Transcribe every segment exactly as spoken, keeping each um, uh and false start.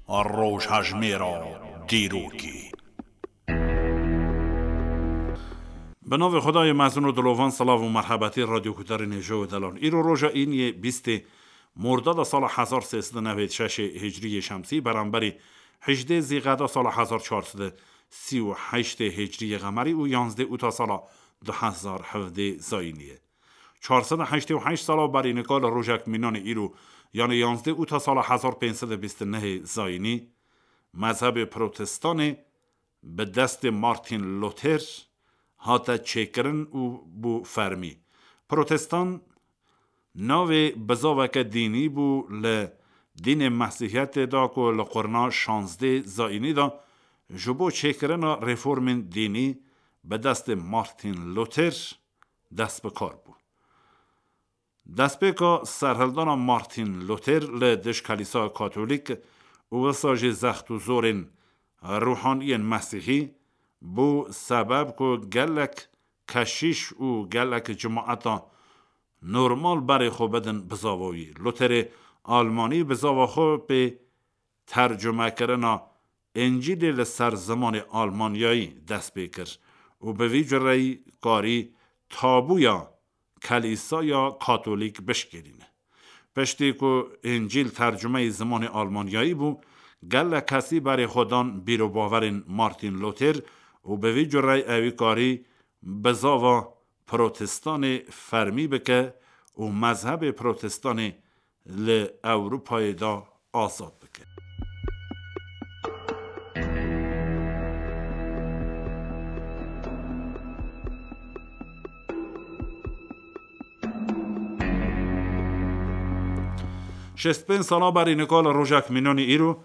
Rojhejmêra dîrokê. Bi navê Xwedayê mezin û dilovan, silav û merhebetî radyoguhdarên hêja û delal. Îro roja îniyê bîstê Mordada sala hezar sê sed û newêd şeşê hicriyê şemsî, beramberî hejdê Zîqeda sala hezar çar sed û sî û heştê hicriyê qemerî û yanzdê Ûta sala du hezar hevdê zayînî ye. Çar sed û heştê û heşt sala berî nika li rojek mînanê îro, yanê yanzdê Ûta sala hezar pênc sed û bîst û nehê zayînî, mezhebê protestanê bi destê Martin Luther hate çêkirin û bû fermî. Protestan navê bizaveke dînî bû li dînê Mesîhiyetê de ku li qurna şazdê zayînî de ji bo çêkirina reformên dînî bi destê Martin Luther dest bi kar bû. Destpêka serhildana Martin Luther li dij Kelîsaya Katolîk û wisa jî zext û zorên ruhaniyên Mesîhî bû sebeb ku gelek keşîş û gelek cimaeta normal berê xwe bidin bizava wî. Lutherê Almanî bizava xwe pê tercumekirina Încîlê li ser zimanê Almanyayî dest pê kir û bi vî cureyî karî tabûya Kelîsaya Katolîk bişkênîne. Piştî ku Încîl tercumeyî zimanê Almanyayî bû, gelek kesî berê xwe dan bîrobaverên Martin Luther û bi vî cureyî ewî karî bizava protestanê fermî bike û mezhebê protestanê li Ewropayê de azad bike. Şêst pênc sala berî nika li rojek mînanî îro,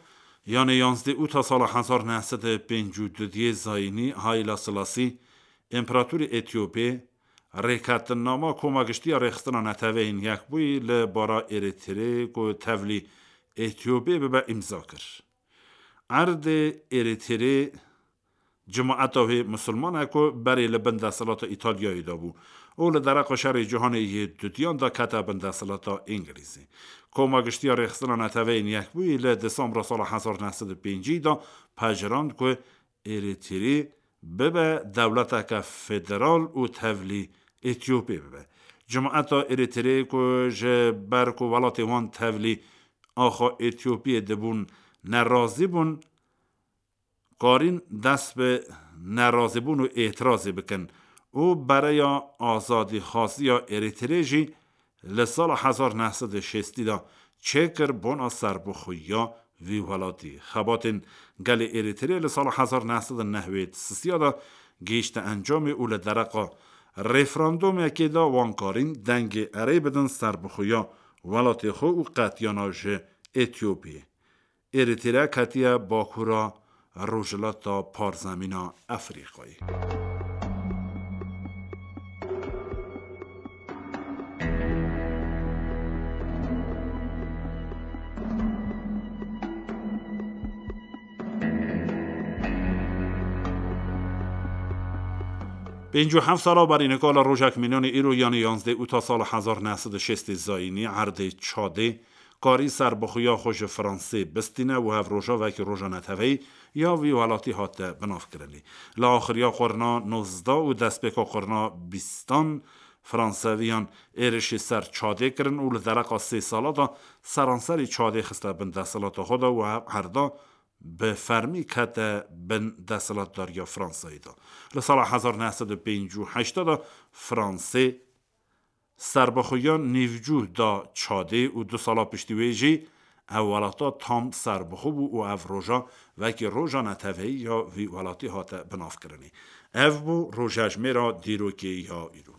yanê yanzdê Ûta sala hezar neh sed û pêncî û du diyê zayînî, Haile Selassie, împeratorê Etiyopê, rêketinnama Koma Giştî ya Rêxistina Neteweyên Yekbûyî li bara Êrîtrê ku tevlî Etiyopê bibe îmza kir. Erdê Êrîtrê cimaeta wê misilman e ku berê li bin desthilata Îtalyayê de bû û li dereqa şerê cîhanê yê dudiyan de kete bin desthilata Îngilîzê. Koma Giştî ya Rêxistina Neteweyên Yekbûyî li Desembra sala hezar neh sed û pêncî de pejirand ku Êrîtrê bibe dewleteke federal û tevlî Etiyopê bibe. Cimaeta Êrîtrê ku ji ber ku welatê wan tevlî axa Etiyopiyê dibûn nerazî bûn, karîn dest bi nerazîbûn û êtirazê bikin û bereya azadîxwaziya Êrîtrê jî li sala hezar neh sed û şêstî de çêkir bona serbixweyiya vî welatî. Xebatên gelê Êrîtrê li sala hezar neh sed û newêd sisiya de gihîşte encamê û li dereqa referandumekê de wan karîn dengê erê bidin serbixweyiya welatê xwe û qetiyana ji Etiyopiyê. Êrître ketiye bakura rojhilata parzemîna Efrîqayê. Pêncî û heft sala berî nika li rojek mînanê îro, yanî yanzdeh Ûta sala hezar neh sed û şêstê zayînî, erdê Çadê, karî serbixweya xwe ji Fransê bistîne û ev roja wekî roja neteweyî ya vî welatî hate binavkirinê. Li axiriya qurna nozdeh û destpêka qurna bîstan Franseviyan êrişî ser Çadê kirin û li dereqa sê sala de seranserî Çadê xiste bin desthilata xwe de û ev erda bi fermî kete bin desthilatdariya Fransayê de. Li sala hezar neh sed û pêncî û heşt de Fransê serbixweyiya nîvcû da Çadê û du sala piştî wê jî ev welata tam serbixwe bû û ev roja wekî roja neteweyî ya vî welatî hate binavkirinê. Ev bû rojhejmêra dîrokê ya îro.